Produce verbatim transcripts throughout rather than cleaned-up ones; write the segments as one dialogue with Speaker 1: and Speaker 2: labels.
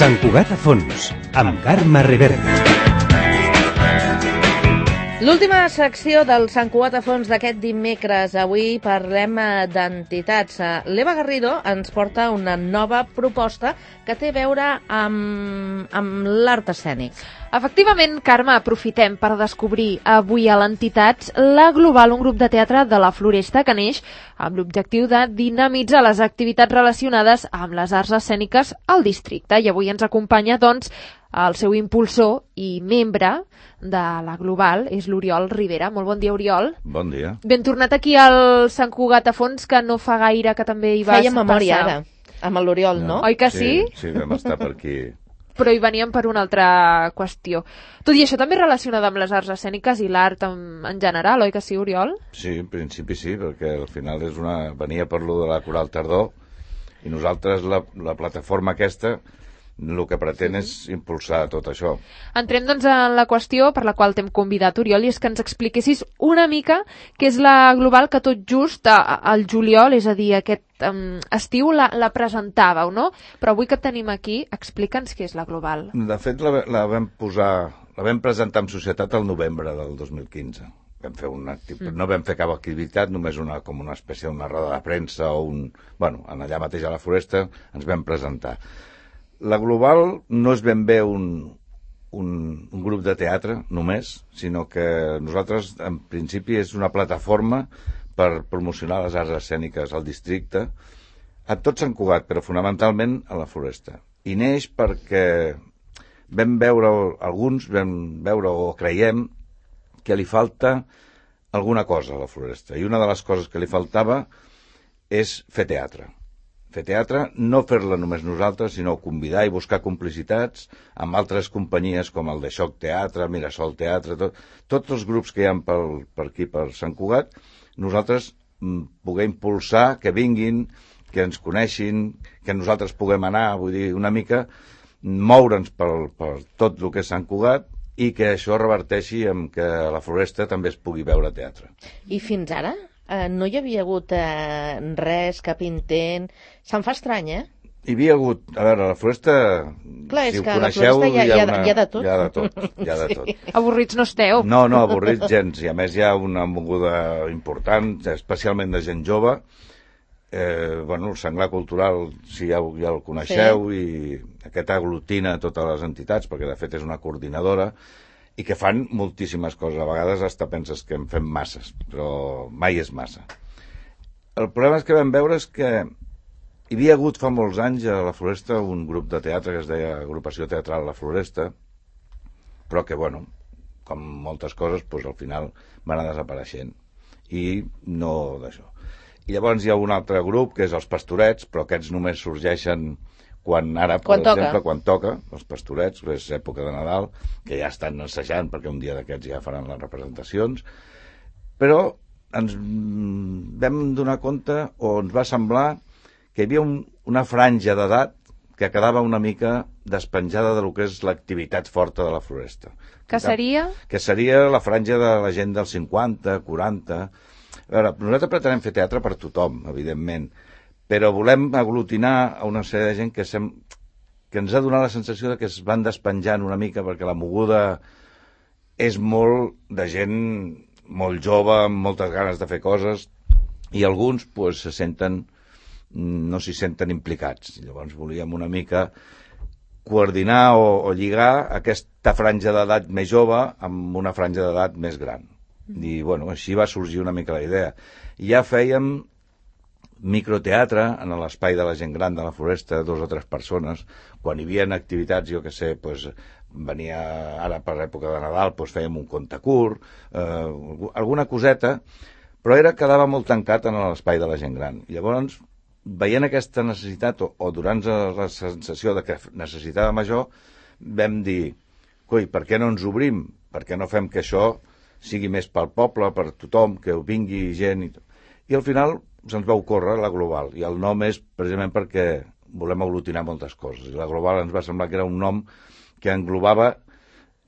Speaker 1: Sant Cugat a fons, amb Carme Rivera.
Speaker 2: L'última secció del Sant Cugat a fons d'aquest dimecres. Avui parlem d'entitats. L'Eva Garrido ens porta una nova proposta que té a veure amb, amb l'art escènic.
Speaker 3: Efectivament, Carme, aprofitem per descobrir avui a l'Entitats La Global, un grup de teatre de la Floresta que neix amb l'objectiu de dinamitzar les activitats relacionades amb les arts escèniques al districte. I avui ens acompanya, doncs, el seu impulsor i membre de La Global, és l'Oriol Rivera. Molt bon dia, Oriol.
Speaker 4: Bon dia.
Speaker 3: Ben tornat aquí al Sant Cugat a fons, que no fa gaire que també hi vas
Speaker 2: Feia memòria
Speaker 3: passar.
Speaker 2: ara, amb l'Oriol, no?
Speaker 3: no? Oi que sí?
Speaker 4: Sí, sí, vam estar per aquí.
Speaker 3: Però hi veníem per una altra qüestió. Tot i això també relacionada amb les arts escèniques i l'art en, en general, oi que sí, Oriol?
Speaker 4: Sí, en principi sí, perquè al final és una... venia per lo de la Coral Tardor i nosaltres, la, la plataforma aquesta, el que pretén és impulsar tot això.
Speaker 3: Entrem, doncs, en la qüestió per la qual t'hem convidat, Oriol, i és que ens expliquessis una mica què és La Global, que tot just al juliol, és a dir, aquest um, estiu, la, la presentàveu, no? Però avui que et tenim aquí, explica'ns què és La Global.
Speaker 4: De fet, la, la vam posar, la vam presentar en societat al novembre del dos mil quinze. Vam fer una activitat, mm. no vam fer cap activitat, només una, com una espècie d'una roda de premsa o un... Bueno, allà mateix a la Floresta ens vam presentar. La Global no és ben bé un, un, un grup de teatre només, sinó que nosaltres, en principi, és una plataforma per promocionar les arts escèniques al districte, a tot Sant Cugat, però fonamentalment a la Floresta. I neix perquè vam veure, alguns vam veure o creiem que li falta alguna cosa a la Floresta. I una de les coses que li faltava és fer teatre. Fer teatre, no fer-la només nosaltres, sinó convidar i buscar complicitats amb altres companyies com el de Xoc Teatre, Mirasol Teatre, tot, tots els grups que hi ha per, per aquí, per Sant Cugat, nosaltres m, poder impulsar, que vinguin, que ens coneixin, que nosaltres puguem anar, vull dir, una mica, moure'ns per, per tot el que és Sant Cugat i que això reverteixi en que a la Floresta també es pugui veure teatre.
Speaker 2: I fins ara? Uh, no hi havia hagut uh, res, cap intent... Se'm fa estrany, eh?
Speaker 4: Hi havia hagut... A veure, a la Floresta...
Speaker 2: Clar, és
Speaker 4: si ho
Speaker 2: que
Speaker 4: coneixeu,
Speaker 2: a la Floresta hi ha,
Speaker 4: hi ha,
Speaker 2: hi ha,
Speaker 4: una,
Speaker 2: hi ha de tot.
Speaker 4: Hi ha de tot, hi ha de tot.
Speaker 2: Sí.
Speaker 3: Avorrits no esteu.
Speaker 4: No, no, avorrits gens. I a més hi ha una moguda important, especialment de gent jove. Eh, bueno, el Senglar Cultural, si ja, ja el coneixeu, sí. I aquest aglutina totes les entitats, perquè de fet és una coordinadora, i que fan moltíssimes coses. A vegades hasta penses que en fem masses, però mai és massa. El problema és que vam veure és que hi havia hagut fa molts anys a la Floresta un grup de teatre que es deia Agrupació Teatral La Floresta, però que, bueno, com moltes coses, doncs, al final van anar desapareixent. I no d'això. I llavors hi ha un altre grup, que és els Pastorets, però aquests només sorgeixen quan ara, per
Speaker 2: quan
Speaker 4: exemple,
Speaker 2: toca.
Speaker 4: quan toca, els Pastorets, que és època de Nadal, que ja estan assajant, perquè un dia d'aquests ja faran les representacions, però ens vam donar compte, o ens va semblar, que hi havia un, una franja d'edat que quedava una mica despenjada de lo que és l'activitat forta de la Floresta.
Speaker 3: Que seria?
Speaker 4: Que seria la franja de la gent dels cinquanta, quaranta... A veure, nosaltres pretenem fer teatre per tothom, evidentment, però volem aglutinar a una sèrie de gent que, sem... que ens ha donat la sensació de que es van despenjant una mica, perquè la moguda és molt de gent molt jove, amb moltes ganes de fer coses, i alguns pues, se senten, no s'hi senten implicats. Llavors volíem una mica coordinar o, o lligar aquesta franja d'edat més jove amb una franja d'edat més gran. I bueno, així va sorgir una mica la idea. Ja fèiem microteatre en l'espai de la gent gran de la Floresta, dos o tres persones. Quan hi havia activitats, jo que sé, pues, venia ara per l'època de Nadal, pues, fèiem un conte curt, eh, alguna coseta, però era quedava molt tancat en l'espai de la gent gran. I llavors, veient aquesta necessitat, o, o donant la sensació de que necessitàvem això, vam dir, coi, per què no ens obrim? Per què no fem que això sigui més pel poble, per tothom, que vingui gent... I, I al final se'ns va ocórrer La Global, i el nom és precisament perquè volem aglutinar moltes coses. I La Global ens va semblar que era un nom que englobava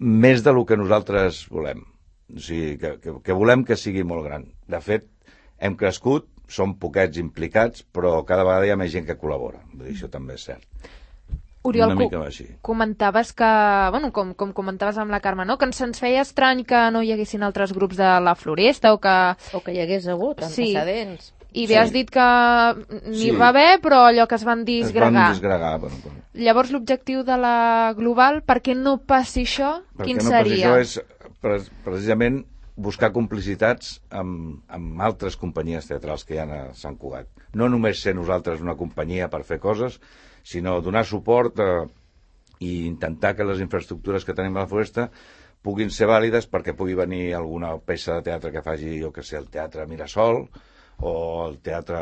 Speaker 4: més del que nosaltres volem. O sigui, que, que, que volem que sigui molt gran. De fet, hem crescut, som poquets implicats, però cada vegada hi ha més gent que col·labora. Vull dir, això també és cert.
Speaker 3: Oriol,
Speaker 4: una mica així.
Speaker 3: comentaves que, bueno, com, com comentaves amb la Carme, no? Que ens, ens feia estrany que no hi haguessin altres grups de la Floresta o que...
Speaker 2: O que hi hagués hagut antecedents.
Speaker 3: Sí. I bé,
Speaker 4: Sí.
Speaker 3: has dit que n'hi
Speaker 4: Sí.
Speaker 3: va haver, però allò que es van
Speaker 4: Es
Speaker 3: disgregar.
Speaker 4: van disgregar. Bueno, bueno.
Speaker 3: Llavors, l'objectiu de la Global, perquè no passi això,
Speaker 4: Perquè
Speaker 3: quin
Speaker 4: no
Speaker 3: seria?
Speaker 4: Això és pre precisament buscar complicitats amb, amb altres companyies teatrals que hi ha a Sant Cugat. No només ser nosaltres una companyia per fer coses, sinó donar suport a, i intentar que les infraestructures que tenim a la Floresta puguin ser vàlides perquè pugui venir alguna peça de teatre que faci, jo que sé, el Teatre Mirasol, o el teatre,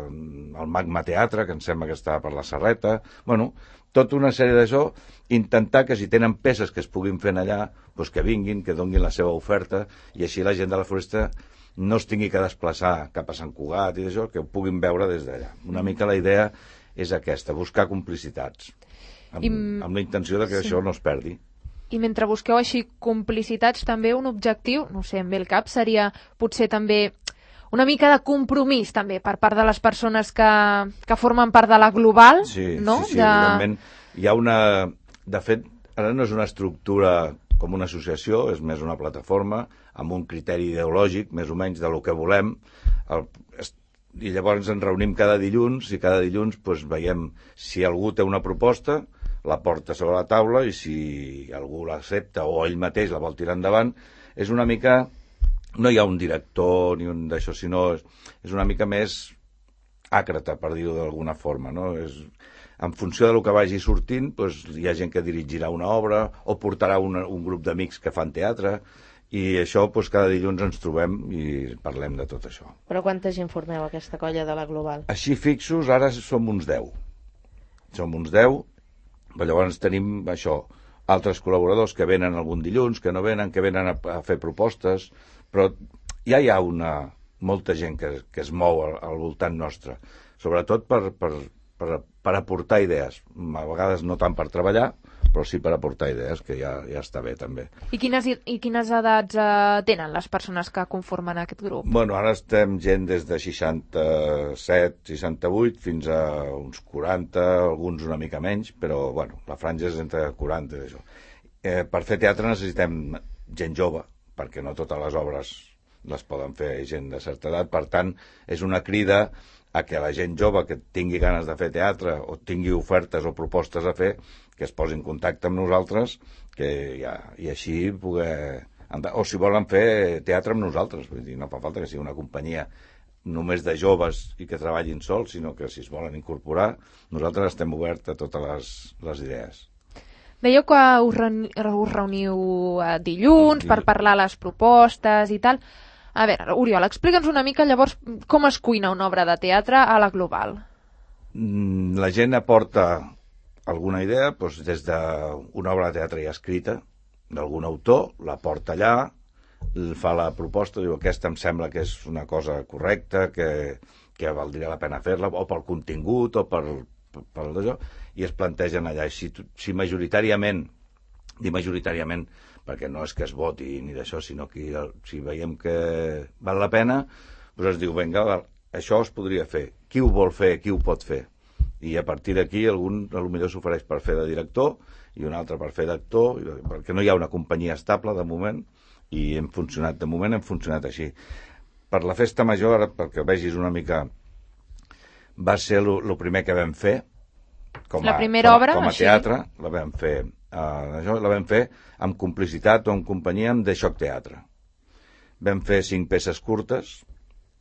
Speaker 4: el Magma Teatre, que em sembla que està per la Serreta. Bueno, tota una sèrie d'això, intentar que si tenen peces que es puguin fer allà, doncs que vinguin, que donguin la seva oferta, i així la gent de la Floresta no es tingui que desplaçar cap a Sant Cugat i d'això, que ho puguin veure des d'allà. Una mica la idea és aquesta, buscar complicitats, amb,
Speaker 3: I...
Speaker 4: amb la intenció de que sí. Això no es perdi.
Speaker 3: I mentre busqueu així complicitats, també un objectiu, no sé, em ve el cap, seria potser també una mica de compromís també per part de les persones que, que formen part de la Global,
Speaker 4: sí,
Speaker 3: no?
Speaker 4: Sí, sí,
Speaker 3: de...
Speaker 4: evidentment. Hi ha una... De fet, ara no és una estructura com una associació, és més una plataforma amb un criteri ideològic, més o menys, de lo que volem. El... I llavors ens reunim cada dilluns i cada dilluns doncs, veiem si algú té una proposta, la porta sobre la taula i si algú l'accepta o ell mateix la vol tirar endavant. És una mica... No hi ha un director ni un d'això, sinó és, és una mica més àcrata, per dir-ho d'alguna forma, no? És, en funció del que vagi sortint, doncs, hi ha gent que dirigirà una obra o portarà una, un grup d'amics que fan teatre, i això doncs, cada dilluns ens trobem i parlem de tot això.
Speaker 2: Però quanta gent formeu aquesta colla de la Global?
Speaker 4: Així fixos, ara som uns deu. Som uns deu, però llavors tenim això, altres col·laboradors que venen algun dilluns, que no venen, que venen a, a fer propostes, però ja hi ha una, molta gent que, que es mou al, al voltant nostre, sobretot per, per, per, per aportar idees, a vegades no tant per treballar, però sí per aportar idees, que ja, ja està bé també.
Speaker 3: I quines, i quines edats eh, tenen les persones que conformen aquest grup?
Speaker 4: Bueno, ara estem gent des de seixanta-set, seixanta-vuit fins a uns quaranta, alguns una mica menys, però bueno, la franja és entre quaranta i això. Eh, per fer teatre necessitem gent jove, perquè no totes les obres les poden fer gent de certa edat. Per tant, és una crida a que la gent jove que tingui ganes de fer teatre o tingui ofertes o propostes a fer, que es posi en contacte amb nosaltres, que ja, i així poder... O si volen fer teatre amb nosaltres, vull dir, no fa falta que sigui una companyia només de joves i que treballin sols, sinó que si es volen incorporar, nosaltres estem oberts a totes les, les idees.
Speaker 3: Dèieu que us, reuni us reuniu eh, dilluns per parlar les propostes i tal. A veure, Oriol, explica'ns una mica llavors com es cuina una obra de teatre a la Global.
Speaker 4: La gent aporta alguna idea, doncs des d'una obra de teatre ja escrita, d'algun autor, la porta allà, fa la proposta, diu aquesta em sembla que és una cosa correcta, que, que valdria la pena fer-la, o pel contingut, o per, per, per això, i es plantegen allà. Si, si majoritàriament, dic majoritàriament, perquè no és que es voti ni d'això, sinó que si veiem que val la pena, doncs es diu, vinga, això es podria fer. Qui ho vol fer, qui ho pot fer? I a partir d'aquí algun potser s'ofereix per fer de director i un altre per fer d'actor, perquè no hi ha una companyia estable de moment, i hem funcionat, de moment hem funcionat així. Per la festa major, ara, perquè vegis una mica, va ser el primer que vam fer, com a,
Speaker 3: la primera
Speaker 4: com a,
Speaker 3: obra,
Speaker 4: com a
Speaker 3: així?
Speaker 4: teatre, la vam fer, uh, això, la vam fer amb complicitat o en companyia amb The Shock Teatre. Vam fer cinc peces curtes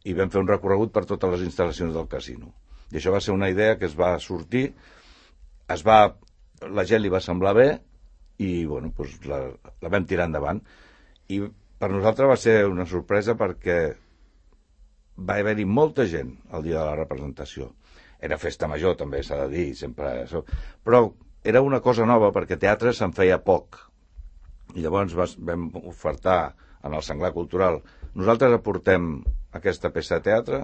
Speaker 4: i vam fer un recorregut per totes les instal·lacions del casino. I això va ser una idea que es va sortir, es va, la gent li va semblar bé i bueno, doncs la, la vam tirar endavant. I per nosaltres va ser una sorpresa perquè va haver-hi molta gent el dia de la representació. Era festa major, també s'ha de dir, sempre això. Però era una cosa nova perquè teatre se'n feia poc. I llavors vam ofertar en el Senglar Cultural. Nosaltres aportem aquesta peça de teatre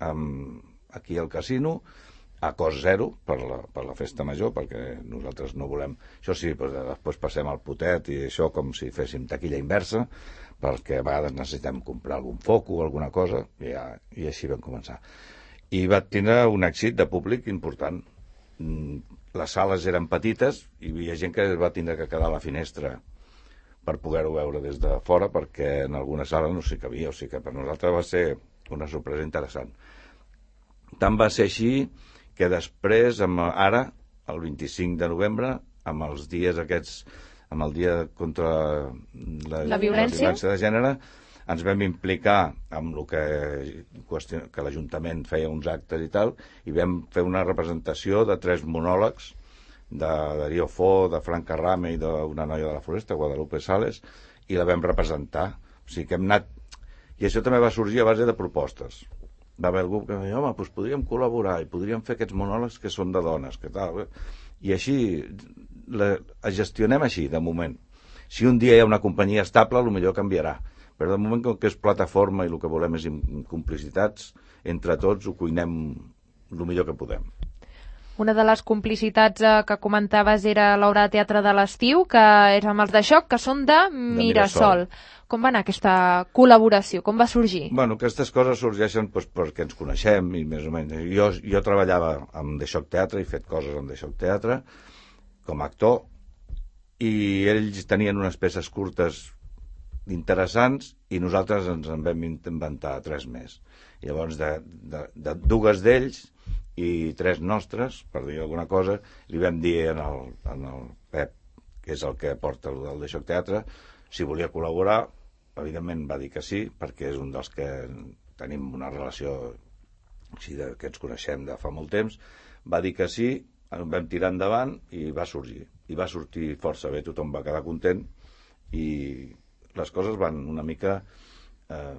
Speaker 4: amb, aquí al casino a cost zero per la, per la festa major, perquè nosaltres no volem... Això sí, doncs després passem al potet i això com si féssim taquilla inversa, perquè a vegades necessitem comprar algun foco o alguna cosa, i, ja, i així vam començar. I va tindre un èxit de públic important. les sales eren petites i hi havia gent que es va tindre que quedar a la finestra per poder-ho veure des de fora, perquè en alguna sala no s'hi cabia, o sigui que per nosaltres va ser una sorpresa interessant. Tant va ser així que després, amb, ara, el vint-i-cinc de novembre, amb els dies aquests, amb el dia contra la,
Speaker 3: la, violència?
Speaker 4: la violència de gènere, ens vam implicar amb el que, que l'Ajuntament feia uns actes i tal, i vam fer una representació de tres monòlegs, de Darío Fo, de Frank Carrame i d'una noia de la Floresta, Guadalupe Sales, i la vam representar. O sigui que hem anat... I això també va sorgir a base de propostes. Va haver algú que va dir, home, doncs podríem col·laborar i podríem fer aquests monòlegs que són de dones, que tal... I així, la, gestionem així, de moment. Si un dia hi ha una companyia estable, potser canviarà. Però de moment, com que és plataforma i el que volem és complicitats, entre tots ho cuinem el millor que podem.
Speaker 3: Una de les complicitats eh, que comentaves era l'obra de teatre de l'estiu, que és amb els de Xoc, que són de Mirasol. De Mirasol. Com va anar aquesta col·laboració? Com va sorgir?
Speaker 4: Bueno, aquestes coses sorgeixen doncs, perquè ens coneixem i més o menys. Jo, jo treballava amb The Xoc Teatre, he fet coses amb The Xoc Teatre com a actor, i ells tenien unes peces curtes interessants i nosaltres ens en vam inventar tres més. Llavors, de, de, de dues d'ells i tres nostres, per dir alguna cosa, li vam dir en el, en el Pep, que és el que porta el del The Xoc Teatre, si volia col·laborar. Evidentment va dir que sí, perquè és un dels que tenim una relació així de, que ens coneixem de fa molt temps. Va dir que sí, en vam tirar endavant i va sorgir. I va sortir força bé, tothom va quedar content i les coses van una mica... Eh,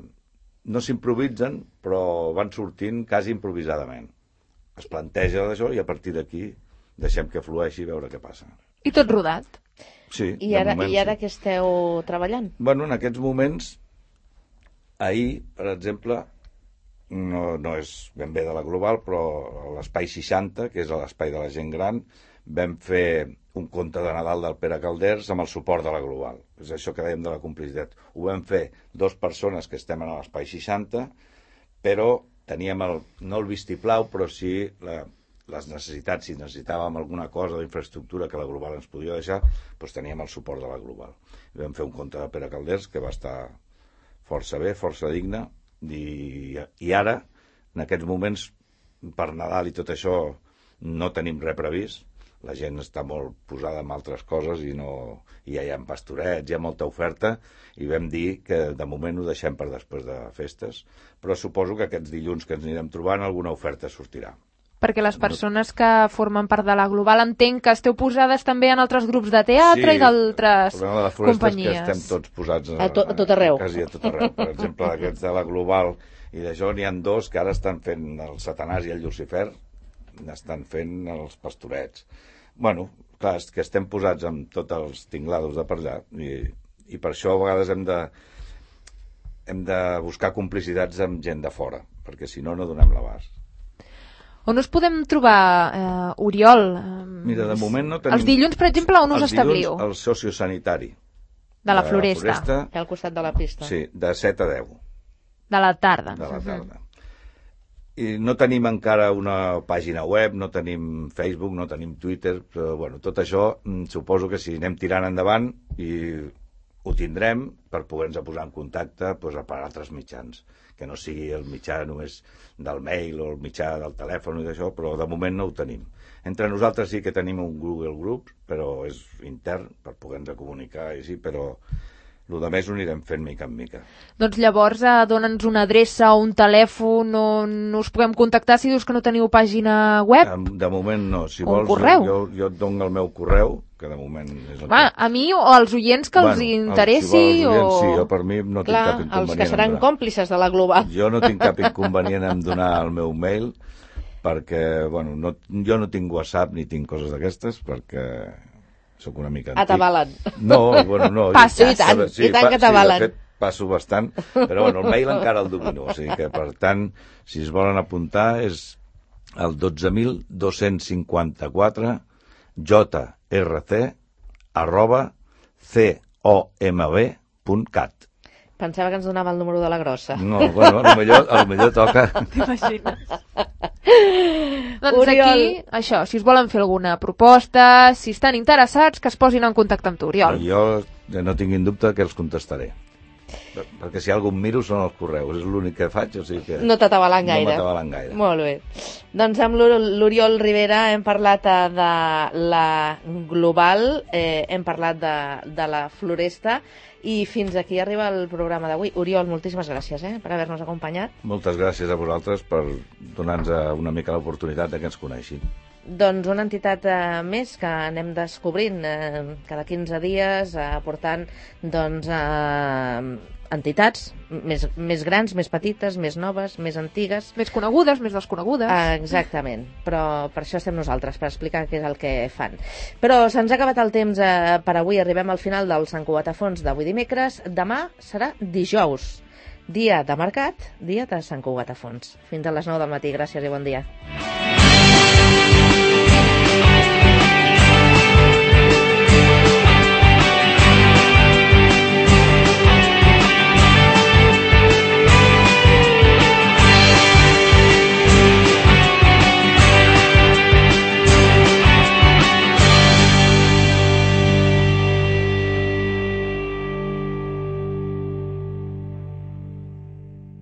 Speaker 4: no s'improvisen, però van sortint quasi improvisadament. Es planteja d'això i a partir d'aquí deixem que flueixi i veure què passa.
Speaker 3: I tot rodat.
Speaker 4: Sí,
Speaker 2: I ara,
Speaker 4: moment,
Speaker 2: i ara
Speaker 4: sí.
Speaker 2: què esteu treballant?
Speaker 4: Bueno, en aquests moments, ahir, per exemple, no, no és ben bé de la Global, però a l'Espai seixanta, que és l'Espai de la gent gran, vam fer un conte de Nadal del Pere Calders amb el suport de la Global. És això que dèiem de la complicitat. Ho vam fer dos persones que estem a l'Espai seixanta, però teníem el, no el vistiplau, però sí la, les necessitats. Si necessitàvem alguna cosa d'infraestructura que la Global ens podia deixar, doncs teníem el suport de la Global. I vam fer un conte de Pere Calders que va estar força bé, força digne, i, i ara, en aquests moments, per Nadal i tot això, no tenim res previst. La gent està molt posada en altres coses i, no, i ja hi ha pastorets, hi ha molta oferta, i vam dir que de moment ho deixem per després de festes, però suposo que aquests dilluns que ens anirem trobant alguna oferta sortirà.
Speaker 3: Perquè les persones que formen part de la Global entenc que esteu posades també en altres grups de teatre
Speaker 4: sí,
Speaker 3: i d'altres
Speaker 4: companyies. Sí, el problema de la Floresta és que estem tots posats a,
Speaker 2: a, to, a tot arreu.
Speaker 4: Quasi a tot arreu. Per exemple, aquests de la Global i d'això n'hi ha dos que ara estan fent el Satanàs i el Llucifer, n'estan fent els pastorets. Bueno, clar, és que estem posats amb tots els tinglados de per allà i, i per això a vegades hem de, hem de buscar complicitats amb gent de fora, perquè si no, no donem l'abast.
Speaker 3: On us podem trobar, eh, Oriol?
Speaker 4: Mira, de moment no tenim...
Speaker 3: Els dilluns, per exemple, on us establiu?
Speaker 4: Els dilluns, al sociosanitari.
Speaker 3: De la Floresta.
Speaker 4: De la Floresta.
Speaker 2: Que al costat de la pista.
Speaker 4: Sí, de set a deu.
Speaker 3: De la tarda.
Speaker 4: De la tarda. I no tenim encara una pàgina web, no tenim Facebook, no tenim Twitter, però bueno, tot això suposo que si anem tirant endavant i ho tindrem per poder-nos posar en contacte doncs, per altres mitjans, que no sigui el mitjà només del mail o el mitjà del telèfon i d'això, però de moment no ho tenim. Entre nosaltres sí que tenim un Google Group, però és intern per poder-nos comunicar i sí, però el de més ho anirem fent mica en mica.
Speaker 3: Doncs llavors eh, dona'ns una adreça o un telèfon on us puguem contactar si dius que no teniu pàgina web.
Speaker 4: De moment no. Si
Speaker 3: un
Speaker 4: vols,
Speaker 3: correu.
Speaker 4: Jo, jo et dono el meu correu, que de moment és el
Speaker 3: Va,
Speaker 4: que...
Speaker 3: a mi o als oients que
Speaker 4: bueno,
Speaker 3: els interessi
Speaker 4: si vols,
Speaker 3: o...
Speaker 4: Sí, jo per mi no
Speaker 2: Clar,
Speaker 4: tinc cap inconvenient.
Speaker 2: els que seran còmplices de la Global.
Speaker 4: Jo no tinc cap inconvenient en donar el meu mail, perquè, bueno, no, jo no tinc WhatsApp ni tinc coses d'aquestes, perquè sóc una mica antic.
Speaker 2: Atabalen.
Speaker 4: No, bueno, no.
Speaker 2: Passa, i tant,
Speaker 4: sí,
Speaker 2: i tant que atabalen.
Speaker 4: Sí, de fet, passo bastant, però bueno, el mail encara el domino, o sigui que, per tant, si es volen apuntar, és el dotze mil dos-cents cinquanta-quatre jrc arroba comb punt cat.
Speaker 2: Pensava que ens donava el número de la grossa.
Speaker 4: No, bueno, a lo millor, a lo millor toca.
Speaker 3: T'imagines? Doncs
Speaker 2: Oriol.
Speaker 3: aquí, això, si us volen fer alguna proposta, si estan interessats, que es posin en contacte amb tu, Oriol.
Speaker 4: Jo no tinguin dubte que els contestaré. Perquè si algun miro són els correus, és l'únic que faig, o sigui que...
Speaker 2: No t'atabalen gaire.
Speaker 4: No m'atabalen gaire.
Speaker 2: Molt bé. Doncs amb l'Oriol Rivera hem parlat eh, de la Global, eh, hem parlat de, de la Floresta, i fins aquí arriba el programa d'avui. Oriol, moltíssimes gràcies eh, per haver-nos acompanyat.
Speaker 4: Moltes gràcies a vosaltres per donar-nos una mica l'oportunitat de que ens coneixin.
Speaker 2: Doncs una entitat eh, més que anem descobrint eh, cada quinze dies, eh, aportant doncs, eh, entitats més, més grans, més petites, més noves, més antigues.
Speaker 3: Més conegudes, més desconegudes.
Speaker 2: Ah, exactament, però per això estem nosaltres, per explicar què és el que fan. Però se'ns ha acabat el temps eh, per avui, arribem al final del Sant Cugat a Fons d'avui dimecres. Demà serà dijous, dia de mercat, dia de Sant Cugat a Fons. Fins a les nou del matí, gràcies i bon dia.